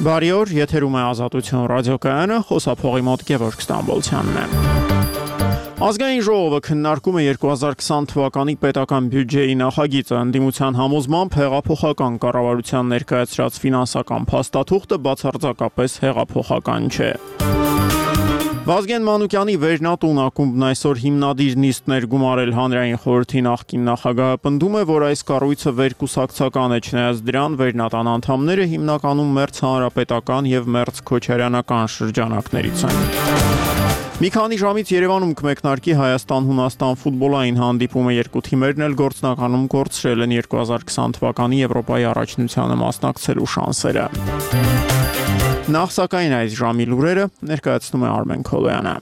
Բարի օր, եթերում է Ազատություն ռադիոկայանը, խոսափողի մոտ Գևորգ Ստամբոլցյանն է։ Ազգային ժողովը քննարկում է 2020 թվականի պետական բյուջեի նախագիծը, ընդդիմության համոզմամբ հեղափոխական կառավարության ներկայացրած ֆինանսական փաստաթուղթը բացարձակապես հեղափոխական չէ։ Վազգեն Մանուկյանի Վերնատուն ակումբն այսօր հիմնադիր նիստներ գումարել հանրային խորհրդի նախկին նախագահը պնդում է, որ այս կառույցը վերկուսակցական է, չնայած դրան Վերնատան անդամները հիմնականում մերձ հանրապետական եւ մերձ քոչարյանական շրջանակներից են։ Մի քանի ժամից Երևանում կմեկնարկի Հայաստան-Հունաստան ֆուտբոլային հանդիպումը, երկու թիմերն էլ գործնականում կորցրել են 2020 թվականի Եվրոպայի առաջնությանը մասնակցելու շանսերը։ Նախ սակայն այս ժամի լուրերը ներկայացնում է Արմեն Քոլոյանը։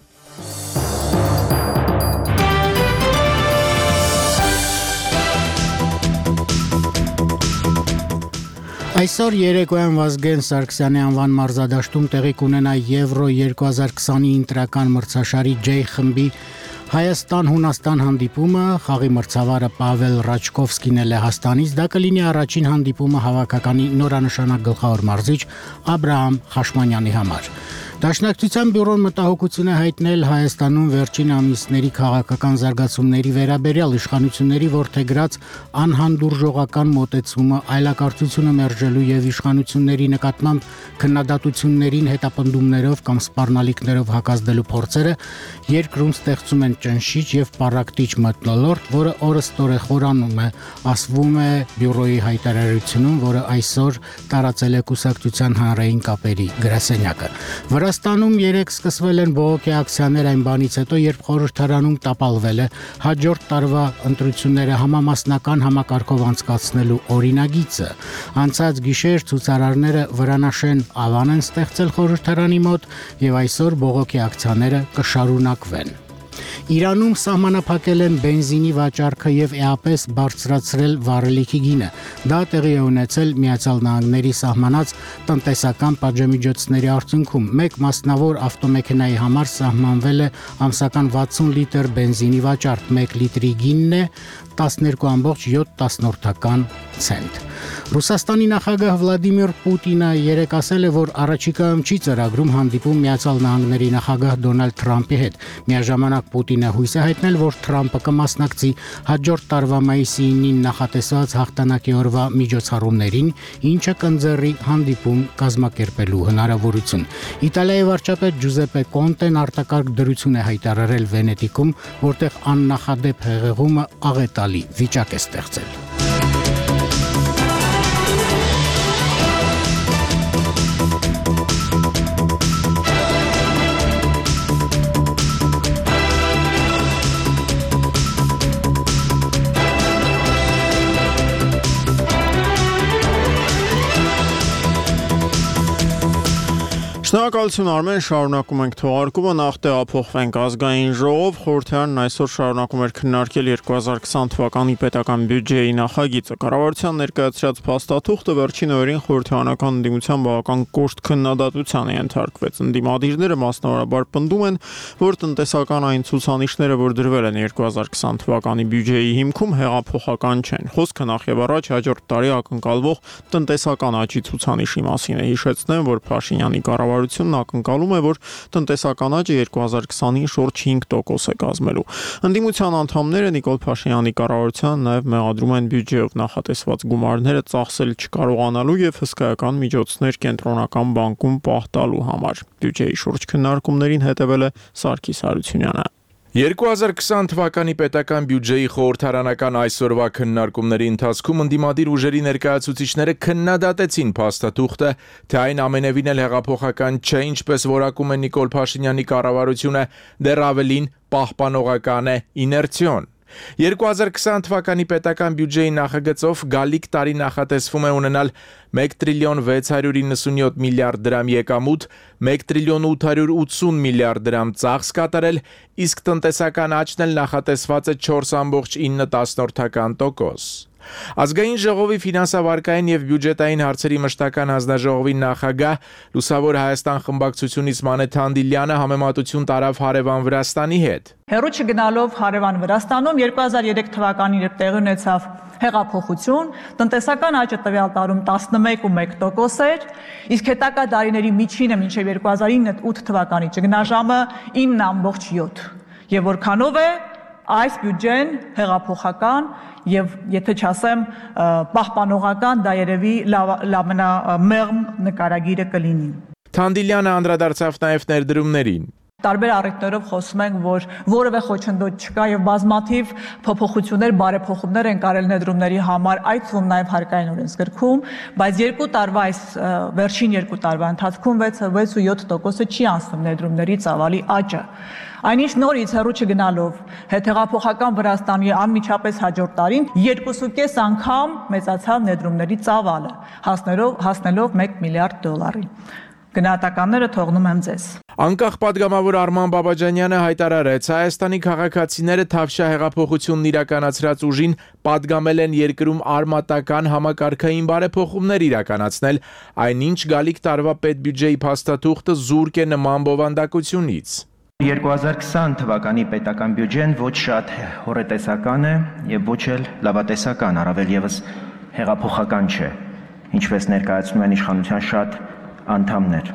Այսօր երեկոյան Վազգեն Սարգսյանի անվան մարզադաշտում տեղի կունենա Եվրո 2020-ի ընտրական մրցաշարի J խմբի Հայաստան-Հունաստան հանդիպումը, խաղի մրցավարը Պավել Ռաչկովսկին է Լեհաստանից, դա կլինի առաջին հանդիպումը հավաքականի նորանշանակ գլխավոր մարզիչ Աբրահամ Խաշմանյանի համար։ Դաշնակցության բյուրոն մտահոգություն է հայտնել Հայաստանում վերջին ամիսների քաղաքական զարգացումների վերաբերյալ իշխանությունների որդեգրած անհանդուրժողական մոտեցումը, այլակարգությունը մերժելու եւ իշխանությունների նկատմամբ քննադատություններին հետապնդումներով կամ սպառնալիքներով հակազդելու փորձերը երկրում ստեղծում են ճնշիչ եւ պառակտիչ մթնոլորտ, որը օրըստօրե խորանում է, ասվում է բյուրոյի հայտարարությունում, որը այսօր տարածել է կուսակցության հանրային կապերի գրասենյակը։ Վրաստանում երեկ սկսվել են բողոքի ակցիաներ այն բանից հետո, երբ խորհրդարանում տապալվել է հաջորդ տարվա ընտրությունները համամասնական համակարգով անցկացնելու օրինագիծը։ Անցած գիշեր ցուցարարները վրանաշեն ավան են ստեղծել խորհրդարանի մոտ եւ այսօր բողոքի ակցիաները կշարունակվեն։ Իրանում սահմանափակել են բենզինի վաճառքը եւ էապես բարձրացրել վառելիքի գինը։ Դա տեղի է ունեցել Միացյալ Նահանգների սահմանած տնտեսական պատժամիջոցների արդյունքում։ Մեկ մասնավոր ավտոմեքենայի համար սահմանվել է ամսական 60 լիտր բենզինի վաճառք, 1 լիտրի գինն է 12.7 ցենտ։ Ռուսաստանի նախագահ Վլադիմիր Պուտինը երեկ ասել է, որ առաջիկայում չի ծրագրում հանդիպում Միացյալ Նահանգների նախագահ Դոնալդ Թրամփի հետ։ Միաժամանակ Պուտինը հույս է հայտնել, որ Թրամփը կմասնակցի հաջորդ տարվա մայիսի 9-ին նախատեսված հաղթանակի օրվա միջոցառումներին, ինչը կընձեռի հանդիպում կազմակերպելու հնարավորություն։ Իտալիայի վարչապետ Ջուզեպե Կոնտեն արտակարգ դրություն է հայտարարել Վենետիկում, որտեղ աննախադեպ հեղեղումը աղետալի վիճակ է ստեղծել։ Շնորհակալություն Արմեն, շարունակում ենք թողարկումը, նախ տեղափոխվենք Ազգային ժողով, խորհրդարանն այսօր շարունակում էր քննարկել 2020 թվականի պետական բյուջեի նախագիծը։ Կառավարության ներկայացրած փաստաթուղթը վերջին օրերին խորհրդարանական ընդդիմության բավական կոշտ քննադատության է ենթարկվեց։ Ընդդիմադիրները մասնավորաբար պնդում են, որ տնտեսական այն ցուցանիշները, որ դրվել են 2020 թվականի բյուջեի հիմքում, հեղափոխական չեն։ Խոսքը նախ եւ առաջ հաջորդ տարի ակնկալվող տնտեսական աճի ցուցանիշի մասին է։ Հիշեցնեմ, որ Փաշինյանի կառավարությունն ակնկալում է, որ տնտեսական աճը 2020-ին շուրջ 5% է կազմելու։ Ընդդիմության անդամները Նիկոլ Փաշինյանի կառավարությանը նաև մեղադրում են բյուջեով նախատեսված գումարները ծախսել չկարողանալու եւ հսկայական միջոցներ կենտրոնական բանկում պահ տալու համար։ Բյուջեի շուրջ քննարկումներին հետևել է Սարգիս Հարությունյանը։ 2020 թվականի պետական բյուջեի խորհրդարանական այսօրվա քննարկումների ընթացքում ընդդիմադիր ուժերի ներկայացուցիչները քննադատեցին փաստաթուղթը, թե այն ամենևին էլ հեղափոխական չէ, ինչպես որակում է Նիկոլ Փաշինյանի կառավարությունը, դեռ ավելին պահպանողական է, իներցիոն։ 2020 թվականի պետական բյուջեի նախագծով գալիք տարի նախատեսվում է ունենալ 1 տրիլիոն 697 միլիարդ դրամ եկամուտ, 1 տրիլիոն 880 միլիարդ դրամ ծախս կատարել, իսկ տնտեսական աճն էլ նախատեսված է 4.9%։ Ազգային ժողովի ֆինանսավարկային եւ բյուջետային հարցերի մշտական հանձնաժողովի նախագահ Լուսավոր Հայաստան խմբակցությունից Մանե Թանդիլյանը համեմատություն տարավ հարևան Վրաստանի հետ։ Հեռու չգնալով հարևան Վրաստանում 2003 թվականին երբ տեղի ունեցավ հեղափոխություն, տնտեսական աճը տվյալ տարում 11.1% էր, իսկ հետագա դարիների միջինը մինչև 2009-8 թվականի ճգնաժամը 9.7%։ Եվ որքանով է այս բյուջեն հեղափոխական եւ եթե չասեմ պահպանողական, դա երևի ամենամեղմ նկարագիրը կլինի։ Թանդիլյանը անդրադարձավ նաեւ ներդրումներին։ Տարբեր առիթներով խոսում ենք, որ որևէ խոչընդոտ չկա եւ բազմաթիվ փոփոխություններ, բարեփոխումներ են կարել ներդրումների համար, այդ թվում նաեւ հարկային օրենսգրքում, բայց այս վերջին 2 տարվա ընթացքում 6.7%-ը չի անցնում ներդրումների ծավալի աճը։ Այնինչ նորից հեռու չգնալով հետհեղափոխական Վրաստանի անմիջապես հաջորդ տարին 2.5 անգամ մեծացավ ներդրումների ծավալը, հասնելով $1 միլիարդ։ Գնահատականները թողնում եմ ձեզ։ Անկախ պատգամավոր Արման Բաբաջանյանը հայտարարեց, Հայաստանի քաղաքացիները Թավշյա հեղափոխությունն իրականացրած ուժին պատգամել են երկրում արմատական համակարգային բարեփոխումներ իրականացնել, այնինչ գալիք տարվա պետբյուջեի փաստաթուղթը զուրկ է նման բովանդակությունից։ 2020 թվականի պետական բյուջեն ոչ շատ հոռետեսական է եւ ոչ էլ լավատեսական, առավել եւս հեղափոխական չէ, ինչպես ներկայացնում են իշխանության շատ անդամներ։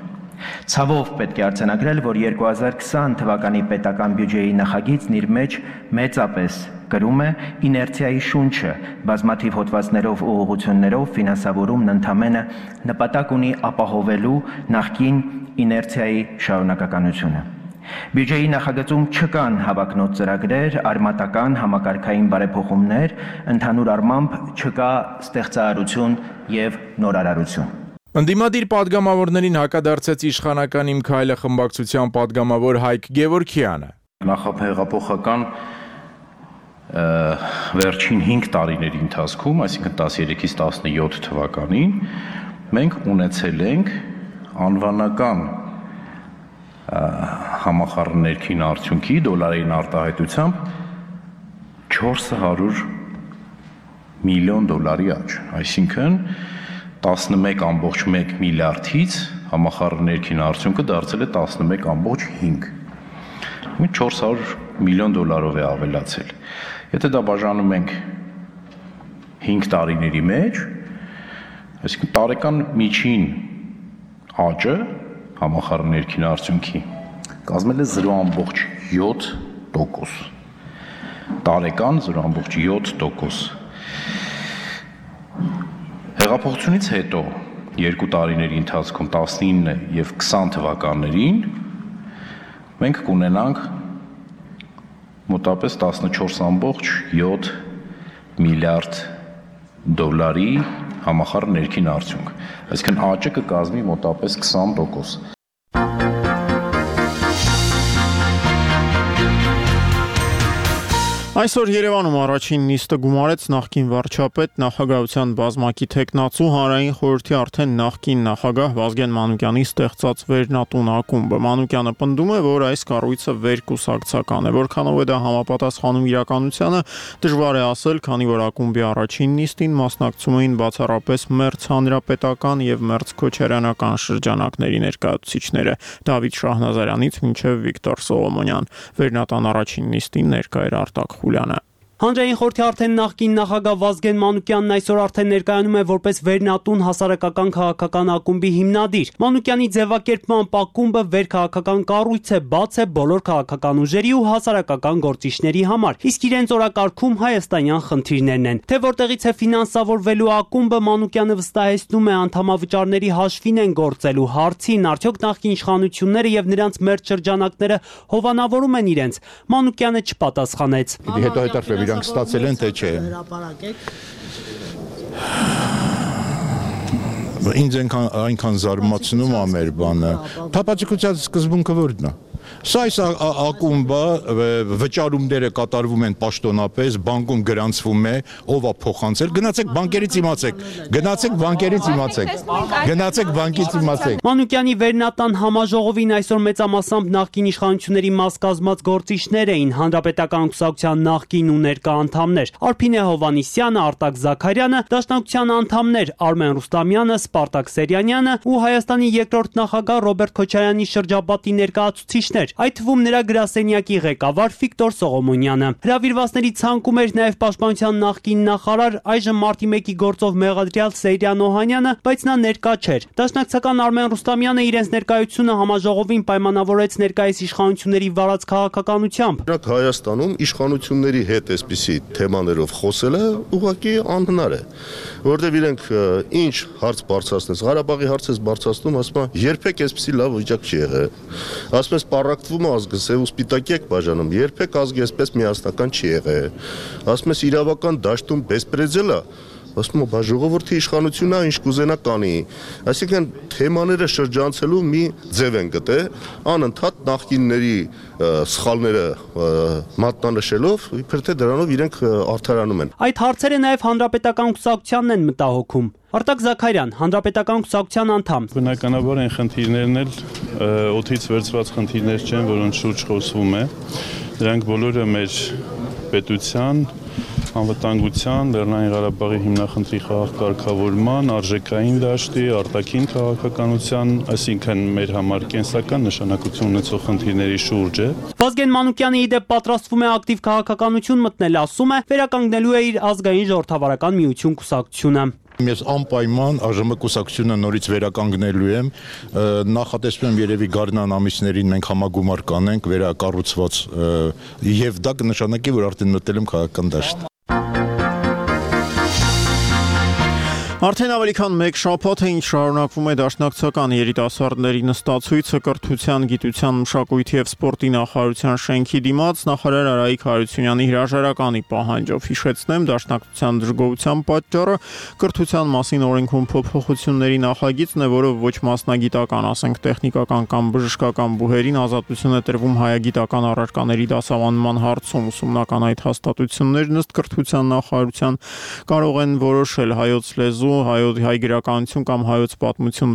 Ցավով պետք է արձանագրել, որ 2020 թվականի պետական բյուջեի նախագիծն իր մեջ մեծապես կրում է իներցիայի շունչը, բազմաթիվ հոդվածներով ու ուղղություններով ֆինանսավորումն ընդամենը նպատակ ունի ապահովելու նախկին իներցիայի շարունակականությունը։ Բյուջեի նախագծում չկան հավակնոտ ծրագրեր, արմատական համակարգային բարեփոխումներ, ընդհանուր առմամբ չկա ստեղծարարություն եւ նորարարություն։ Ընդդիմադիր պատգամավորներին հակադարձեց իշխանական Իմ քայլը խմբակցության պատգամավոր Հայկ Գևորգյանը։ Նախահեղափոխական վերջին 5 տարիների ընթացքում, այսինքն 13-ից 17 թվականին, մենք ունեցել ենք անվանական համախառն արդյունքի դոլարային արտահայտությամբ $400 միլիոն աճ, այսինքն 11.1 միլիարդից համախառն արդյունքը դարձել է 11.5, 400 միլիոն դոլարով է ավելացել։ Եթե դա բաժանում ենք 5 տարիների մեջ, այսինքն տարեկան միջին աճը համախառն արդյունքի կազմել է 0.7%, տարեկան 0.7%։ Հեղափոխությունից հետո 2 տարիների ընթացքում 19 եւ 20 թվականներին մենք կունենանք մոտապես 14.7 միլիարդ դոլարի համախառն արդյունք, այսինքն աճը կկազմի մոտապես 20%։ Այսօր Երևանում առաջին նիստը գումարեց նախկին վարչապետ, նախագահության բազմակի թեկնածու, հանրային խորհրդի արդեն նախկին նախագահ Վազգեն Մանուկյանի ստեղծած վերնատուն ակումբը։ Մանուկյանը պնդում է, որ այս կառույցը վերկուսակցական է, որքանով է դա համապատասխանում իրականությանը, դժվար է ասել, քանի որ ակումբի առաջին նիստին մասնակցում էին բացառապես մերձ հանրապետական եւ մերձ քոչարյանական շրջանակների ներկայացուցիչները՝ Դավիթ Շահնազարյանից մինչեւ Վիկտոր Սողոմոնյան։ Վերնատան առաջին նիստին ներկա էր Արտակ Խուլյանը։ Հանրային խորհրդի արդեն նախկին նախագահ Վազգեն Մանուկյանն այսօր արդեն ներկայանում է որպես վերնատուն հասարակական քաղաքական ակումբի հիմնադիր։ Մանուկյանի ձևակերպմամբ ակումբը վերքաղաքական կառույց է, բաց է բոլոր քաղաքական ուժերի ու հասարակական գործիչների համար, իսկ իրենց օրակարգում հայաստանյան խնդիրներն են։ Թե որտեղից է ֆինանսավորվելու ակումբը, Մանուկյանը վստահեցնում է, անդամավճարների հաշվին են գործելու հարցին, արդյոք նախկին իշխանությունները եւ նրանց մերձ շրջանակները հովանավորում են իրենց։ Մանուկյանը չպատասխանեց։ Հետո իրանք ստացել են, թե չէ։ Ինձ այնքան զարմացնում է մեր բանը։ Թափաճկության սկզբունքը որն է։ Սա այս ակումբը վճարումները կատարվում են պաշտոնապես, բանկում գրանցվում է, ով է փոխանցել։ Գնացեք բանկերից իմացեք։ Մանուկյանի վերնատան համաժողովին այսօր մեծամասամբ նախկին իշխանությունների մաս կազմած գործիչներ էին, հանրապետական կուսակցության նախկին ու ներկա անդամներ։ Արփինե Հովանիսյանը, Արտակ Զաքարյանը, Դաշնակցության անդամներ Արմեն Ռուստամյանը, Սպարտակ Սերյանյանը ու Հայաստանի երկրորդ նախագահ Ռոբերտ Քոչարյանի շրջապատի ներկայացուցիչներ, այդ թվում նրա գրասենյակի ղեկավար Վիկտոր Սողոմոնյանը։ Հրավիրվածների ցանկում էր նաև Պաշտպանության նախկին նախարար, այժմ մարտի 1-ի գործով մեղադրյալ Սեյրան Օհանյանը, բայց նա ներկա չէր։ Դաշնակցական Արմեն Ռուստամյանը իրենց ներկայությունը համաժողովին պայմանավորեց ներկայիս իշխանությունների վարած քաղաքականությամբ։ Նրանք Հայաստանում իշխանությունների հետ այսպիսի թեմաներով խոսելը ուղղակի անհնար է, որովհետև իրենք ինչ հարց բարձրացնես, Ղարաբաղի հարց ես բարձրացնում, ասում են երբեք այսպիսի լավ վիճակ չի եղել։ Ասում ես պարակտվում է ազգը, սև ու սպիտակի եք բաժանում, երբեք ազգը այսպես միասնական չի եղել։ Ասում ես իրավական դաշտում բեսպրեդել է, ասում եմ ժողովրդի իշխանությունն է ինչ կուզենա կանի։ Այսինքն թեմաները շրջանցելու մի ձև են գտել, անընդհատ նախկինների սխալները մատնանշելով, իբր թե դրանով իրենք արդարանում են։ Այդ հարցերը նաև հանրապետական կուսակցությանն են մտահոգում։ Արտակ Զաքարյան, հանրապետական կուսակցության անդամ։ Բնականաբար այն խնդիրներն էլ օդից վերցված խնդիրներ չեն, որոնց շուրջ խոսվում է։ Դրանք բոլորը մեր պետության, անվտանգության, Լեռնային Ղարաբաղի հիմնախնդրի խաղաղ-կարգավորման, արժեքային դաշտի, արտաքին քաղաքականության, այսինքն մեր համար կենսական նշանակություն ունեցող խնդիրների շուրջ է։ Վազգեն Մանուկյանը ի դեպ պատրաստվում է ակտիվ քաղաքականություն մտնել, ասում է, վերականգնելու է իր ազգային ժողովրդավարական միություն կուսակցությունը։ Ես անպայման ԱԺՄ կուսակցությունը նորից վերականգնելու եմ, նախատեսում եմ երևի գարնան ամիսներին մենք համագումար կանենք վերակառուցված եւ դա կնշանակի, որ արդեն մտել եմ քաղաքական դաշտ։ Արդեն ավելի քան մեկ շաբաթ է ինչ շարունակվում է Դաշնակցական երիտասարդների նստացույցը կրթության, գիտության, մշակույթի եւ սպորտի նախարարության շենքի դիմաց նախարար Արայիկ Հարությունյանի հրաժարականի պահանջով։ Հիշեցնեմ, Դաշնակցության դժգոհության պատճառը կրթության մասին օրենքում փոփոխությունների նախագիծն է, որով ոչ մասնագիտական, ասենք տեխնիկական կամ բժշկական բուհերին ազատություն է տրվում հայագիտական առարկաների դասավանդման հարցում։ Ուսումնական այդ հաստատություններն ըստ կրթության նախարարության կարող են որոշել հայոց լեզու, հայ գրականություն կամ հայոց պատմություն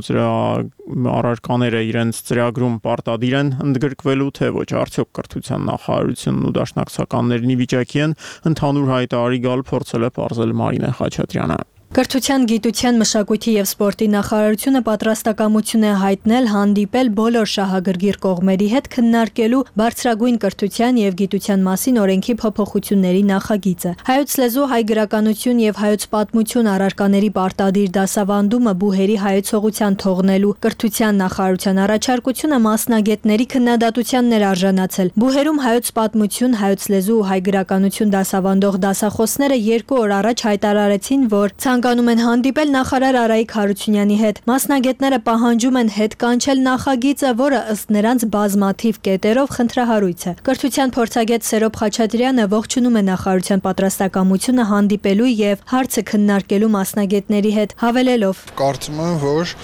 առարկաները իրենց ծրագրում պարտադիր են ընդգրկվելու, թե ոչ, արդյոք կրթության նախարարությունն ու դաշնակցականներն ի վիճակի են ընդհանուր հայտարարի գալ, փորձել է պարզել Մարինե Խաչատրյանը։ Կրթության, գիտության, մշակույթի եւ սպորտի նախարարությունը պատրաստակամություն է հայտնել հանդիպել բոլոր շահագրգիռ կողմերի հետ քննարկելու բարձրագույն կրթության եւ գիտության մասին օրենքի փոփոխությունների նախագիծը։ Հայոց լեզու, հայ գրականություն եւ հայոց պատմություն առարկաների պարտադիր դասավանդումը բուհերի հայեցողության թողնելու կրթության նախարարության առաջարկությունը մասնագետների քննադատությանն էր արժանացել։ Բուհերում հայոց պատմություն, հայոց լեզու ու հայ գրականություն դասավանդող դասախոսները 2 օր առաջ հայտարարեցին, որ ցանկանում են հանդիպել նախարար Արայիկ Հարությունյանի հետ։ Մասնագետները պահանջում են հետ կանչել նախագիծը, որը ըստ նրանց բազմաթիվ կետերով խնդրահարույց է։ Կրթության փորձագետ Սերոբ Խաչատրյանը ողջունում է նախարարության պատրաստակամությունը հանդիպելու եւ հարցը քննարկելու մասնագետների հետ, հավելելով. Կարծում եմ, որ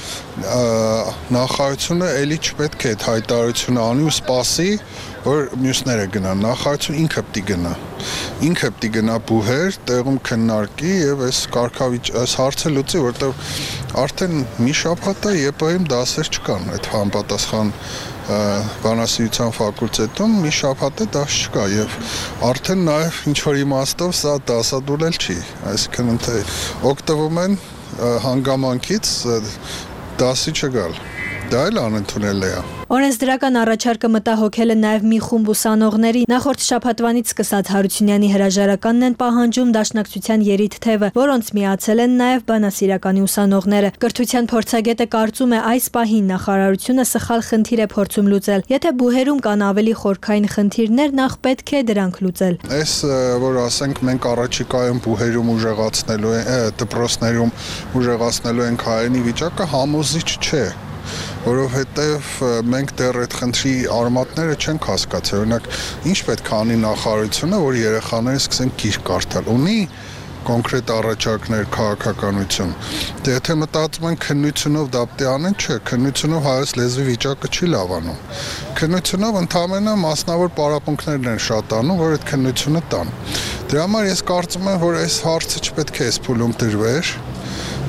նախարարությունը ելի չպետք է այդ հայտարարությունը անի ու սպասի, որ մյուսները գնան, նախարարությունը ինքը պիտի գնա բուհեր, տեղում քննարկի եւ այս հարցը լուծի, որտեղ արդեն մի շաբաթ է ԵՊՀ-ում դասեր չկան, այդ համապատասխան բանասիրության ֆակուլտետում մի շաբաթ է դաս չկա եւ արդեն նաեւ ինչ որ իմաստով սա դասադուլել չի, այսինքն թե օգտվում են հանգամանքից դասի չգալ, դա էլ անընդունել է։ Օրենսդրական առաջարկը մտահոգել է նաև մի խումբ ուսանողների։ Նախորդ շաբաթվանից սկսած Հարությունյանի հրաժարականն են պահանջում Դաշնակցության երիտ թևը, որոնց միացել են նաև բանասիրականի ուսանողները։ Կրթության փորձագետը կարծում է այս պահին նախարարությունը սխալ խնդիր է փորձում լուծել։ Եթե բուհերում կան ավելի խորքային խնդիրներ, նախ պետք է դրանք լուծել։ Այս որ ասենք մենք առաջիկայում բուհերում ուժեղացնելու ենք, դպրոցներում ուժեղացնելու ենք հայերենի վիճակը համոզիչ չէ։ Որովհետև մենք դեռ այդ խնդրի արմատները չենք հասկացել։ Օրինակ, ինչ պետք է անի նախարարությունը, որ երեխաները սկսեն գիրք կարդալ։ Ունի կոնկրետ առաջարկներ քաղաքականություն։ Դե եթե մտածում են քննությունով դապտի անեն, չէ, քննությունով հայոց լեզվի վիճակը չի լավանում։ Քննությունով ընդհանրապես մասնավոր պարապմունքներն են շատանում, որ այդ քննությունը տան։ Դրա համար ես կարծում եմ, որ այս հարցը չպետք է այս փուլում դրվեր։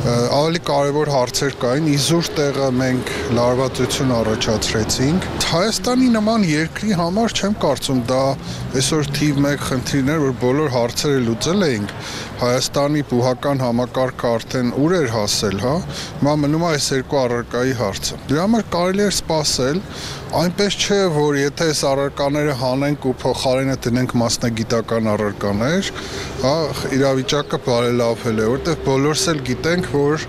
Ավելի կարևոր հարցեր կային, իզուր տեղը մենք լարվածություն առաջացրեցինք։ Հայաստանի նման երկրի համար չեմ կարծում դա այսօր թիվ 1 խնդիրներ, որ բոլոր հարցերը լուծել էինք։ Հայաստանի բուհական համակարգը արդեն ուր էր հասել, հա։ Հիմա մնում է այս երկու առարկայի հարցը։ Դրա համար կարելի է սպասել, այնպես չէ, որ եթե այս առարկաները հանենք ու փոխարենը դնենք մասնագիտական առարկաներ, հա, իրավիճակը բարելավել է, որտեղ բոլորս էլ գիտենք, որ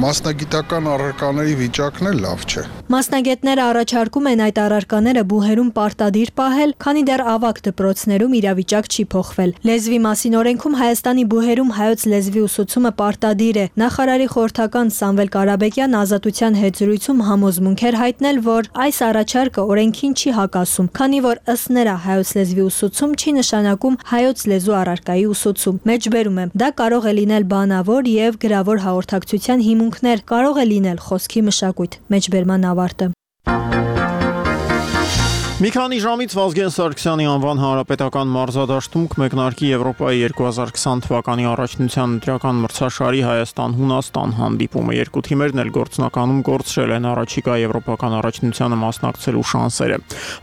մասնագիտական առարկաների վիճակն էլ լավ չէ։ Մասնագետները առաջարկում են այդ առարկաները բուհերում պարտադիր պահել, քանի դեռ ավագ դպրոցներում իրավիճակ չի փոխվել։ Լեզվի մասին օրենքում Հայաստանի բուհերում հայոց լեզվի ուսուցումը պարտադիր է։ Նախարարի խորհրդական Սամվել Կարապետյան Ազատության հետ զրույցում համոզմունք էր հայտնել, որ այս առաջարկը օրենքին չի հակասում, քանի որ ըստ նրա հայոց լեզվի ուսուցում չի նշանակում հայոց լեզու առարկայի ուսուցում։ Մեջբերում եմ, դա կարող է լինել բանավոր եւ գրավոր հաղորդակցության հիմունքներ, կարող է լինել խոսքի մշակույթ։ Մեջբերման ավարտը։ Մի քանի ժամից Վազգեն Սարգսյանի անվան հանրապետական մարզադաշտում կմեկնարկի Եվրոպայի 2020 թվականի առաջնության ընտրական մրցաշարի Հայաստան-Հունաստան հանդիպումը։ Երկու թիմերն էլ գործնականում կորցրել են առաջիկա եվրոպական առաջնությանը մասնակցելու շանսերը։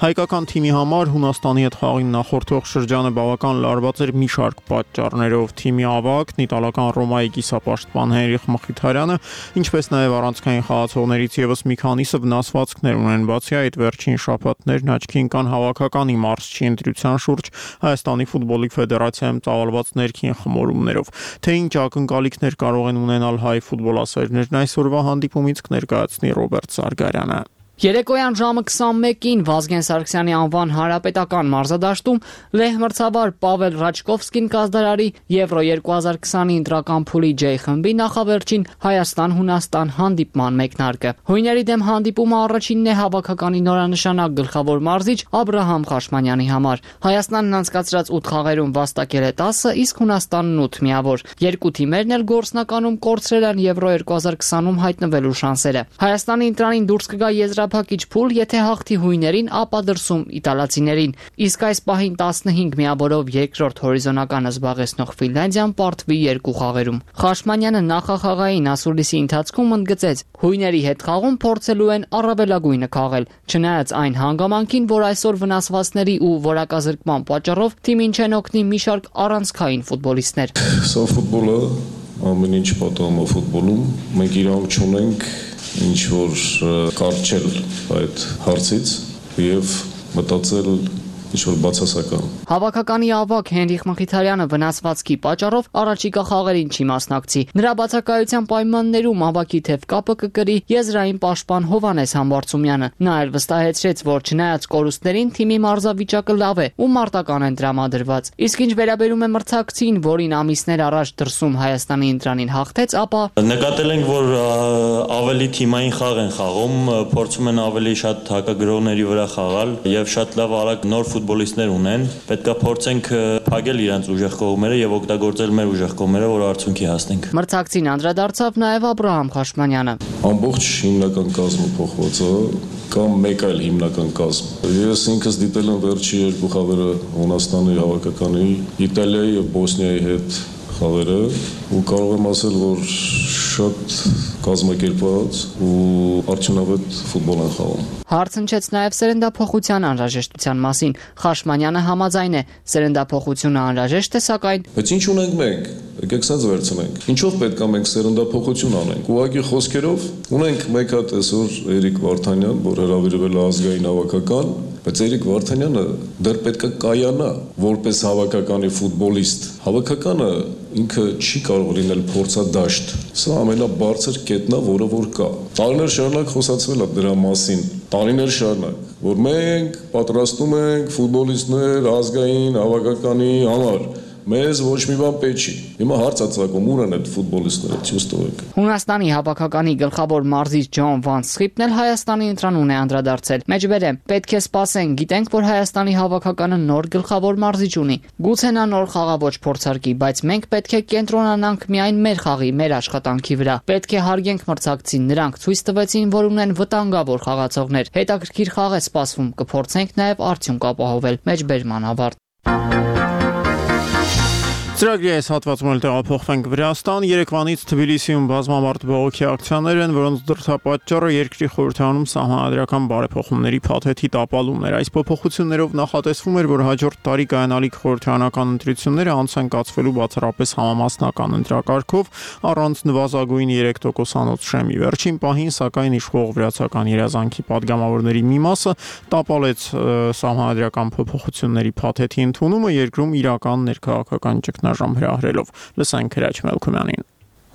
Հայկական թիմի համար Հունաստանի հետ խաղին նախորդող շրջանը բավական լարված էր մի շարք պատճառներով։ Թիմի ավագն իտալական Ռոմայի կիսապաշտպան Հենրիխ Մխիթարյանը, ինչպես նաև առանցքային խաղացողներից եւս մի քանիսը վնասվածքներ ունեն։ Բացի այդ, վերջին շաբաթներն կան հավաքականի մարզչի ընտրության շուրջ Հայաստանի ֆուտբոլի ֆեդերացիայում ծավալված ներքին խմորումներով։ Թե ինչ ակնկալիքներ կարող են ունենալ հայ ֆուտբոլասերներն այսօրվա հանդիպումից կներկայացնի Ռոբերտ Սարգարյանը։ Երեկոյան ժամը 21-ին Վազգեն Սարգսյանի անվան հանրապետական մարզադաշտում լեհ մրցավար Պավել Ռաչկովսկին կազդարարի Եվրո 2020-ի ընտրական փուլի J խմբի նախավերջին Հայաստան-Հունաստան հանդիպման մեկնարկը։ Հույների դեմ հանդիպումը առաջինն է հավաքականի նորանշանակ գլխավոր մարզիչ Աբրահամ Խաշմանյանի համար։ Հայաստանն անցկացրած 8 խաղերում վաստակել է 10, իսկ Հունաստանն 8 միավոր։ Երկու թիմերն էլ գործնականում կորցրել են Եվրո 2020-ում հայտնվելու շանսերը։ Հայաստանի ընտրանին դուրս կգա եզրափակիչ փուլ, եթե հաղթի հույներին, ապա դրսում իտալացիներին։ Իսկ այս պահին 15 միավորով երկրորդ հորիզոնականը զբաղեցնող Ֆինլանդիան պարտվի 2 խաղերում։ Խաշմանյանը նախախաղային ասուլիսի ընթացքում ընդգծեց, հույների հետ խաղում փորձելու են առավելագույնը քաղել, չնայած այն հանգամանքին, որ այսօր վնասվածքների ու որակազրկման պատճառով թիմին չեն օգնի մի շարք առանցքային ֆուտբոլիստներ։ Սա ֆուտբոլը ամեն ինչ պատահում է ֆուտբոլում, մենք իրավունք չունենք ինչ որ կարճել այդ հարցից եւ մտածել ինչ որ բացասական։ Հավաքականի ավագ Հենրիխ Մխիթարյանը վնասվածքի պատճառով առաջիկա խաղերին չի մասնակցի։ Նրա բացակայության պայմաններում ավագի թեւ կապը կկրի եզրային պաշտպան Հովանես Համբարձումյանը։ Նա էլ վստահեցրեց, որ չնայած կորուստներին թիմի մարզավիճակը լավ է ու մարտական են տրամադրված։ Իսկ ինչ վերաբերում է մրցակցին, որին ամիսներ առաջ դրսում Հայաստանի ընտրանին հաղթեց, ապա նկատել ենք, որ ավելի թիմային խաղ են խաղում, փորձում են ավելի շատ հակագրողների վրա խաղալ եւ շատ լավ արագ նոր ֆուտբոլիստներ ունեն, պետք է փորձենք փակել իրենց ուժեղ կողմերը եւ օգտագործել մեր ուժեղ կողմերը, որ արդյունքի հասնենք։ Մրցակցին անդրադարձավ նաեւ Աբրահամ Խաշմանյանը։ Ամբողջ հիմնական կազմը փոխված է, կամ մեկ այլ հիմնական կազմ։ Ես ինքս դիտել եմ վերջի 2 խաղերը Հունաստանի հավաքականի, Իտալիայի եւ Բոսնիայի հետ խաղերը ու կարող եմ ասել, որ շատ կազմակերպված ու արդյունավետ ֆուտբոլ են խաղում։ Հարց հնչեց նաև սերնդափոխության անհրաժեշտության մասին։ Խաշմանյանը համաձայն է, սերնդափոխությունը անհրաժեշտ է, սակայն բայց ինչ ունենք մենք, եկեք սենց վերցնենք։ Ինչով պետք է մենք սերնդափոխություն անենք։ Ուղղակի խոսքերով ունենք մեկ հատ այսօր Էրիկ Վարդանյան, որ հրավիրվել է ազգային հավաքական, բայց Էրիկ Վարդանյանը դեռ պետք է կայանա որպես հավաքականի ֆուտբոլիստ։ Հավաքականը ինքը չի կարող լինել փորձադաշտ։ Սա ամենաբարձր կետն է, որը որ կա։ Տարիներ շարունակ խոսացվել է դրա մասին։ Տարիներ շարունակ, որ մենք պատրաստում ենք ֆուտբոլիստներ ազգային հավաքականի համար։ Մեզ ոչ մի բան պետք չի։ Հիմա հարց ածակում ուր են այդ ֆուտբոլիստները, ցույց տվեք։ Հունաստանի հավաքականի գլխավոր մարզիչ Ջոն Վան Սխիպն էլ Հայաստանի ընտրանուն է անդրադարձել։ Մեջբերեմ, պետք է սպասենք, գիտենք, որ Հայաստանի հավաքականը նոր գլխավոր մարզիչ ունի։ Գուցե նա նոր խաղաոճ փորձարկի, բայց մենք պետք է կենտրոնանանք միայն մեր խաղի, մեր աշխատանքի վրա։ Պետք է հարգենք մրցակցին, նրանք ցույց տվեցին, որ ունեն վտանգավոր խաղացողներ։ Հետաքրքիր խաղ է սպասվում, կփորձենք նաև արդյունք ապահովել։ Մեջբերման ավարտ։ Ծրագրի այս հատվածում էլ տեղափոխվենք Վրաստան։ Երեկվանից Թբիլիսիում բազմամարդ բողոքի ակցիաներ են, որոնց դրդապատճառը երկրի խորհրդարանում սահմանադրական բարեփոխումների փաթեթի տապալումն էր։ Այս փոփոխություններով նախատեսվում էր, որ հաջորդ տարի կայանալիք խորհրդարանական ընտրությունները անցան կացվելու բացառապես համամասնական ընտրակարգով առանց նվազագույն 3%-անոց շեմի։ Վերջին պահին, սակայն, իշխող վրացական երազանքի падգամավորների մի մասը տապալեց սահմանադրական փոփոխությունների փաթեթի ընդունումը երկրում իրական ներքաղաքական ճգնաժամ հրահրելով։ Լսենք Հրաչ Մելքումյանին։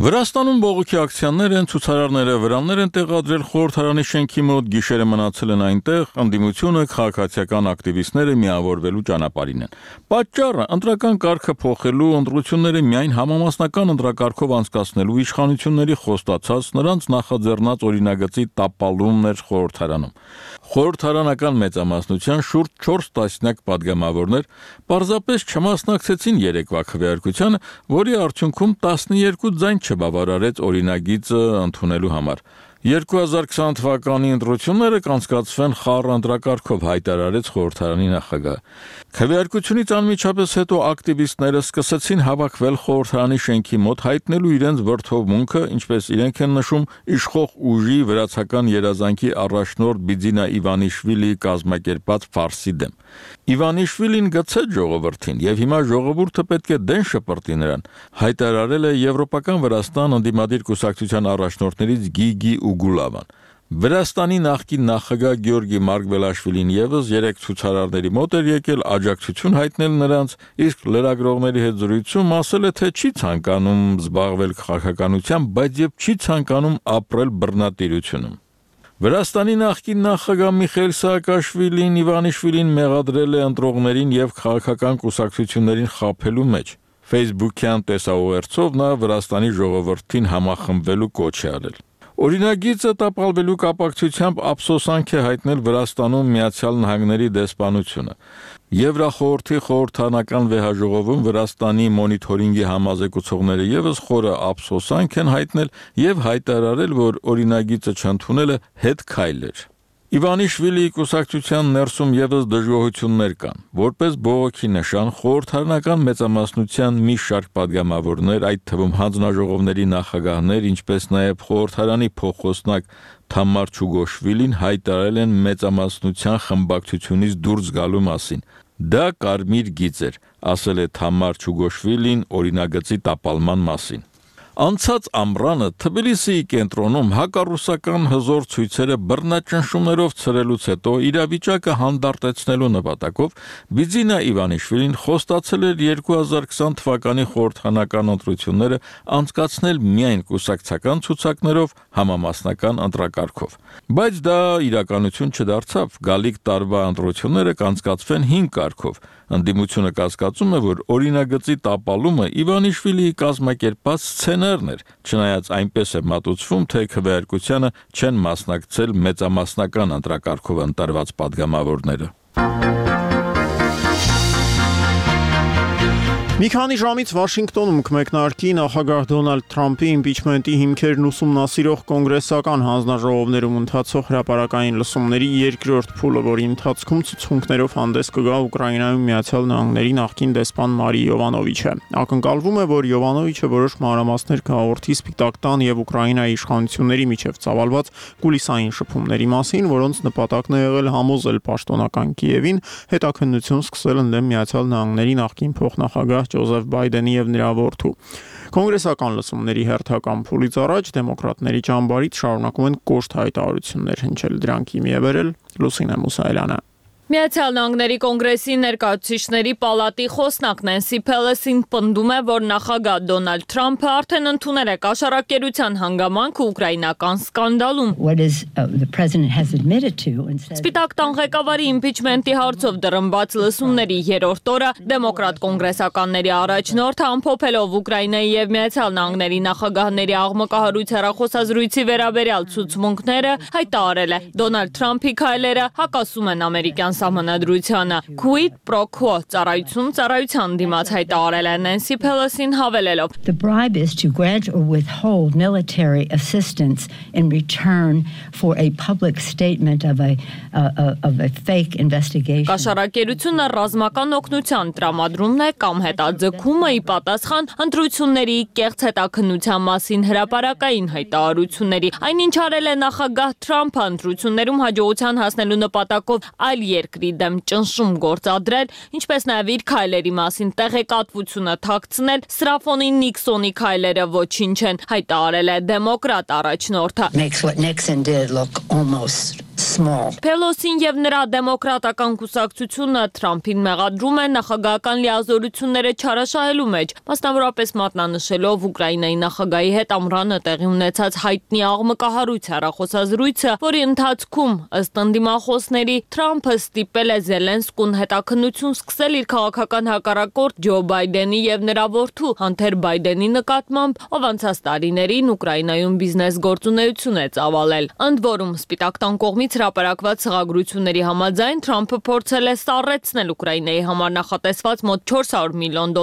Վրաստանում բողոքի ակցիաներ են, ցուցարարները վրաններ են տեղադրել խորհրդարանի շենքի մոտ, գիշերը մնացել են այնտեղ, ընդդիմությունը քաղաքացիական ակտիվիստները միավորվելու ճանապարհին են։ Պատճառը ընտրական կարգը փոխելու, ընտրությունները միայն համամասնական ընտրակարգով անցկացնելու իշխանությունների խոստացած նրանց նախաձեռնած օրինագծի տապալումն էր խորհրդարանում։ Խորհրդարանական մեծամասնության շուրջ 4 տասնյակ падգամավորներ պարզապես չմասնակցեցին երեկվա քվեարկությանը, որի արդյունքում 12 ձայն չբավարարեց օրինագիծը ընդունելու համար։ 2020 թվականի ընտրությունները կանցկացվեն խառը ընտրակարգով, հայտարարեց խորհրդարանի նախագահը։ Քվեարկությունից անմիջապես հետո ակտիվիստները սկսեցին հավաքվել խորհրդարանի շենքի մոտ, հայտնելու իրենց վրդովմունքը, ինչպես իրենք են նշում, իշխող ուժի վրացական երազանքի առաջնորդ Բիձինա Իվանիշվիլիի կազմակերպած ֆարսի դեմ։ Իվանիշվիլին գցեց ժողովրդին, եւ հիմա ժողովուրդը պետք է դեն շպրտի նրան, հայտարարել է Եվրոպական Վրաստան ընդդիմադիր կուսակցության առաջնորդներից Գիգի Ուգուլավան։ Վրաստանի նախկին նախագահ Գյորգի Մարգվելաշվիլին եւս 3 ցուցարարների մոտ էր եկել աջակցություն հայտնել նրանց, իսկ լրագրողների հետ զրույցում ասել է, թե չի ցանկանում զբաղվել քաղաքականությամբ, բայց եւ չի ցանկանում ապրել բռնատիրությունում։ Վրաստանի նախկին նախագահ Միխայել Սաակաշվիլին Իվանիշվիլին մեղադրել է ընտրողներին եւ քաղաքական կուսակցություններին խաբելու մեջ։ Facebook-յան տեսաուղերձով նա Վրաստանի ժողովրդին համախմբվելու կոչ է արել։ Օրինագիծը տապալվելու կապակցությամբ ափսոսանք է հայտնել Վրաստանում Միացյալ Նահանգների դեսպանությունը։ Եվրախորհրդի խորհրդարանական վեհաժողովում Վրաստանի մոնիթորինգի համազեկուցողները եւս խորը ափսոսանք են հայտնել եւ հայտարարել, որ օրինագիծը չընդունելը հետ քայլ էր։ Իվանիշվիլիի կուսակցության ներսում եւս դժգոհություններ կան։ Որպես բողոքի նշան, խորհրդարանական մեծամասնության մի շարք падգամավորներ, այդ թվում հանձնաժողովների նախագահներ, ինչպես նաեւ խորհրդարանի փոխոսնակ Թամար Չուգոշվիլին հայտարարել են մեծամասնության խմբակցությունից դուրս գալու մասին։ Դա կարմիր գիծ էր, ասել է Թամար Չուգոշվիլին օրինագծի տապալման մասին։ Անցած ամռանը Թբիլիսիի կենտրոնում հակառուսական հզոր ցույցերը բռնաճնշումներով ցրելուց հետո իրավիճակը հանդարտեցնելու նպատակով Բիձինա Իվանիշվիլին խոստացել էր 2020 թվականի խորհրդարանական ընտրությունները անցկացնել միայն կուսակցական ցուցակներով համամասնական ընտրակարգով։ Բայց դա իրականություն չդարձավ, գալիք տարվա ընտրությունները կանցկացվեն 5 կարգով։ Ընդդիմությունը կասկածում է, որ օրինագծի տապալումը Իվանիշվիլիի կազմակերպած սցենարն էր, չնայած այնպես է մատուցվում, թե քվեարկությանը չեն մասնակցել մեծամասնական ընտրակարգով ընտրված падգամավորները։ Մի քանի ժամից Վաշինգտոնում կմեկնարկի նախագահ Դոնալդ Թրամփի իմպիչմենտի հիմքերն ուսումնասիրող կոնգրեսական հանձնաժողովներում ընթացող հրապարակային լսումների երկրորդ փուլը, որի ընթացքում ցուցմունքներով հանդես կգա Ուկրաինայում Միացյալ Նահանգների նախկին դեսպան Մարի Յովանովիչը։ Ակնկալվում է, որ Յովանովիչը որոշ մանրամասներ կհաղորդի Սպիտակ տան եւ Ուկրաինայի իշխանությունների միջև ծավալված կուլիսային շփումների մասին, որոնց նպատակն է եղել համոզել պաշտոնական Կիևին հետաքննություն սկսել ընդդեմ Միացյալ Նահանգների նախկին փոխնախագահ Ջոզեֆ Բայդենի եւ նրա որդու։ Կոնգրեսական լսումների հերթական փուլից առաջ դեմոկրատների ճամբարից շարունակում են կոշտ հայտարարություններ հնչել, դրանք հիմի է բերել Լուսինե Մուսայելյանը։ Միացյալ Նահանգների կոնգրեսի ներկայացուցիչների պալատի խոսնակ Նենսի Փելոսին պնդում է, որ նախագահ Դոնալդ Թրամփը արդեն ընդունել է կաշառակերության հանգամանքը ուկրաինական սկանդալում։ Սպիտակ տան ղեկավարի իմպիչմենտի հարցով դռնբաց լսումների երրորդ օրը դեմոկրատ կոնգրեսականների առաջնորդը ամփոփելով Ուկրաինայի եւ Միացյալ Նահանգների նախագահների աղմկահարույց հեռախոսազրույցի վերաբերյալ ցուցմունքները հայտարարել է։ Դոնալդ Թրամփի քայլերը հակասում են ամերիկյան Սահմանադրությանը quid pro quo ծառայության դիմաց հայտարարել է Նենսի Փելոսին հավելելով. The bribe is to grant or withhold military assistance in return for a public statement of a fake investigation. Կաշառակերությունը ռազմական օգնության տրամադրումն է կամ հետաձգումը ի պատասխան ընտրությունների կեղծ հետաքննության մասին հրապարակային հայտարարությունների։ Այնինչ արել է նախագահ Թրամփը ընտրություններում հաջողության հասնելու նպատակով այլ երկրի դեմ ճնշում գործադրել, ինչպես նաև իր քայլերի մասին տեղեկատվությունը թաքցնել, Սրաֆոնին Նիքսոնի քայլերը ոչինչ են, հայտարարել է դեմոկրատ առաջնորդը։ Փելոսին եւ նրա դեմոկրատական կուսակցությունը Թրամփին մեղադրում են նախագահական լիազորությունները չարաշահելու մեջ, մասնավորապես մատնանշելով Ուկրաինայի նախագահի հետ ամռանը տեղի ունեցած հայտնի աղմկահարույց հեռախոսազրույցը, որի ընթացքում ըստ ընդդիմախոսների Թրամփը ստիպել է Զելենսկուն հետաքննություն սկսել իր քաղաքական հակառակորդ Ջո Բայդենի եւ նրա որդու Հանթեր Բայդենի նկատմամբ, ով անցած տարիներին Ուկրաինայում բիզնես գործունեություն է ծավալել։ Ընդ որում Սպիտակ տան կողմից հրապարակված խաղագրությունների համաձայն Թրամփը փորձել է սառեցնել Ուկրաինայի համար նախատեսված մոտ $400 միլիոն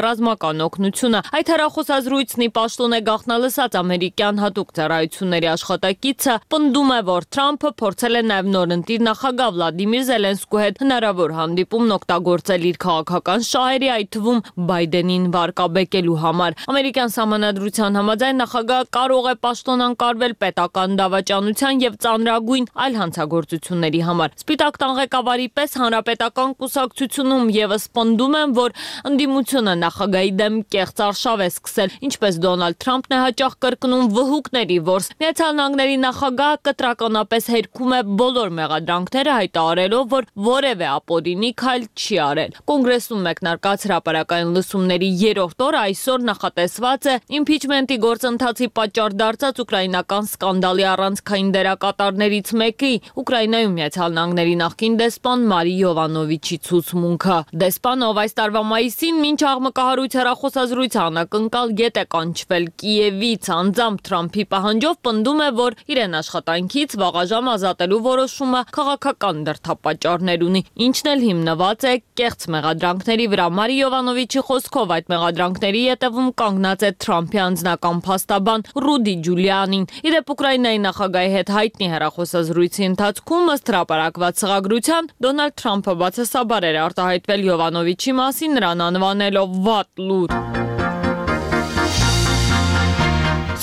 ռազմական օգնությունը։ Այդ հեռախոսազրույցն ի պաշտոն է գաղտնալսած ամերիկյան հատուկ ծառայությունների աշխատակիցը պնդում է, որ Թրամփը փորձել է նաև նորընտիր նախագահ Վլադիմիր Զելենսկու հետ հնարավոր հանդիպումն օգտագործել իր քաղաքական շահերի, այդ թվում Բայդենին վարկաբեկելու համար։ Ամերիկյան սահմանադրության համաձայն նախագահը կարող է պաշտոնանկարվել պետական դավաճանության եւ ծանրագույն այլ հանցագործությունների համար։ Սպիտակ տան ղեկավարի պես հանրապետական կուսակցությունում եւս պնդում են, որ ընդդիմությունը նախագահի դեմ կեղծ արշավ է սկսել, ինչպես Դոնալդ Թրամփն է հաճախ կրկնում վհուկների որս։ Միացյալ Նահանգների նախագահը կտրականապես հերքում է բոլոր մեղադրանքները, հայտարարելով, որ որևէ ապօրինի քայլ չի արել։ Կոնգրեսում մեկնարկած հրապարակային լսումների երրորդ օրը այսօր նախատեսված է իմպիչմենտի գործընթացի պատճառ դարձած ուկրաինական սկանդալի առանցքային դերակատարներից մեկի Ուկրաինայում Միացյալ Նահանգների նախկին դեսպան Մարի Յովանովիչի ցուցմունքը։ Դեսպանը, ով այս տարվա մայիսին մինչ աղմկահարույց հեռախոսազրույց անակնկալ գետ է կանչվել Կիևից անձամբ Թրամփի պահանջով, պնդում է, որ իրեն աշխատանքից վաղաժամ ազատելու որոշումը քաղաքական դրդապատճառներ ունի, ինչն էլ հիմնված է կեղծ մեղադրանքների վրա։ Մարի Յովանովիչի խոսքով այդ մեղադրանքների ետևում կանգնած է Թրամփի անձնական փաստաբան Ռուդի Ջուլիանին։ Իդեպ Ուկրաինայի նախագահի հետ հայտնի հեռախոսազրույցի ընթացքում ըստ հրապարակված խաղագրության Դոնալդ Թրամփը բացասաբար էր արտահայտվել Յովանովիչի մասին, նրան անվանելով վատ լուր։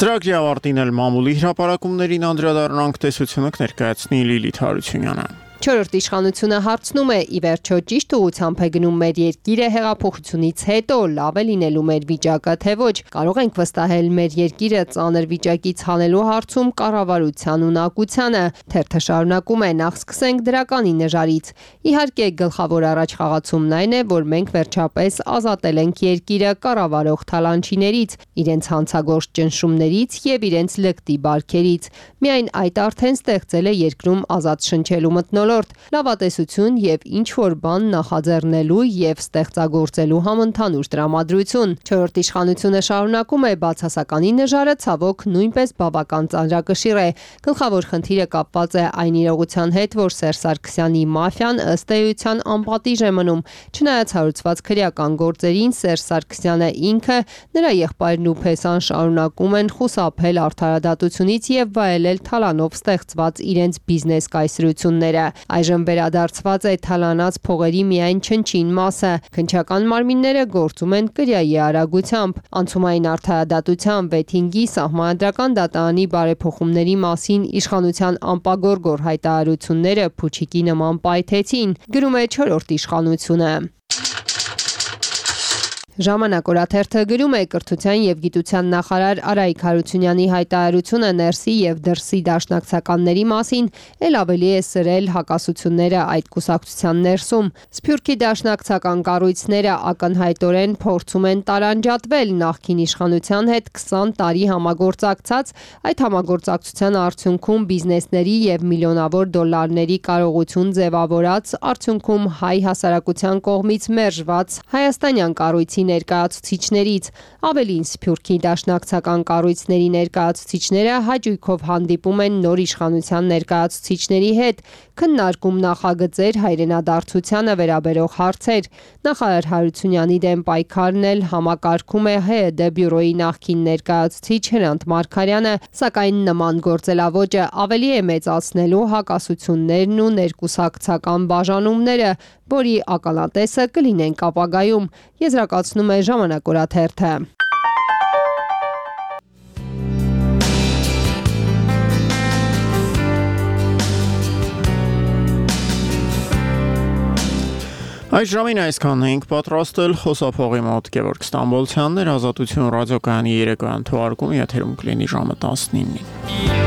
Ծրագրի ավարտին էլ մամուլի հրապարակումներին անդրադառնանք, տեսությունը կներկայացնի Լիլիթ Հարությունյանը։ Չորրորդ իշխանությունը հարցնում է՝ ի վերջո ճիշտ ուղղությամբ է գնում մեր երկիրը հեղափոխությունից հետո, լավ է լինելու մեր վիճակը, թե ոչ։ Կարող ենք վստահել մեր երկիրը ծանր վիճակից հանելու հարցում կառավարության ունակությանը։ Թերթը շարունակում է՝ նախ սկսենք դրականի նժարից։ Իհարկե, գլխավոր առաջխաղացումն այն է, որ մենք վերջապես ազատել ենք երկիրը կառավարող թալանչիներից, իրենց հանցագործ ճնշումներից եւ իրենց լկտի բարքերից։ Միայն այդ արդեն ստեղծել է երկրում ազատ շնչելու մթնոլորտ, լավատեսություն եւ ինչ-որ բան նախաձեռնելու եւ ստեղծագործելու համընդհանուր տրամադրություն։ Չորրորդ իշխանությունը շարունակում է՝ բացասականի նժարը ցավոք նույնպես բավական ծանրակշիռ է։ Գլխավոր խնդիրը կապված է այն իրողության հետ, որ Սերժ Սարգսյանի մաֆիան ըստ էության անպատիժ է մնում։ Չնայած հարուցված քրեական գործերին, Սերժ Սարգսյանը ինքը, նրա եղբայրն ու Փեսան շարունակում են խուսափել արդարադատությունից եւ վայելել թալանով ստեղծված իրենց բիզնես կայսրությունները։ Այժմ վերադարձված է թալանած փողերի միայն չնչին մասը։ Քննչական մարմինները գործում են կրյայի արագությամբ։ Անցումային արդարադատության 6-ի սահմանադրական դատարանի բարեփոխումների մասին իշխանության անպագորգոր հայտարարությունները փուչիկի նման պայթեցին, գրում է չորրորդ իշխանությունը։ Ժամանակ օրաթերթը գրում է կրթության եւ գիտության նախարար Արայիկ Հարությունյանի հայտարարությունը ներսի եւ դրսի դաշնակցականների մասին ել ավելի է սրել հակասությունները այդ կուսակցության ներսում։ Սփյուռքի դաշնակցական կառույցները ակնհայտորեն փորձում են տարանջատվել նախկին իշխանության հետ 20 տարի համագործակցած, այդ համագործակցության արդյունքում բիզնեսների եւ միլիոնավոր դոլարների կարողություն ձևավորած, արդյունքում հայ հասարակության կողմից մերժված հայաստանյան կառույցի ներկայացուցիչներից, ավելին Սփյուռքի դաշնակցական կառույցների ներկայացուցիչները հաճույքով հանդիպում են նոր իշխանության ներկայացուցիչների հետ, քննարկում նախագծեր հայրենադարձությանը վերաբերող հարցեր։ Նախարար Հարությունյանի դեմ պայքարն էլ համակարգում է ՀՅԴ բյուրոյի նախկին ներկայացուցիչ Հրանտ Մարգարյանը, սակայն նման գործելավոճը ավելի է մեծացնելու հակասություններն ու ներկուսակցական բաժանումները, որի ականատեսը կլինենք ապագայում, եզրակացնում է Ժամանակ օրաթերթը։ Այս ժամին այսքանն էինք պատրաստել, խոսափողի մոտ Գևորգ Ստամբոլցյանն էր, Ազատություն ռադիոկայանի երեկոյան թողարկումը եթերում կլինի ժամը 19-ին։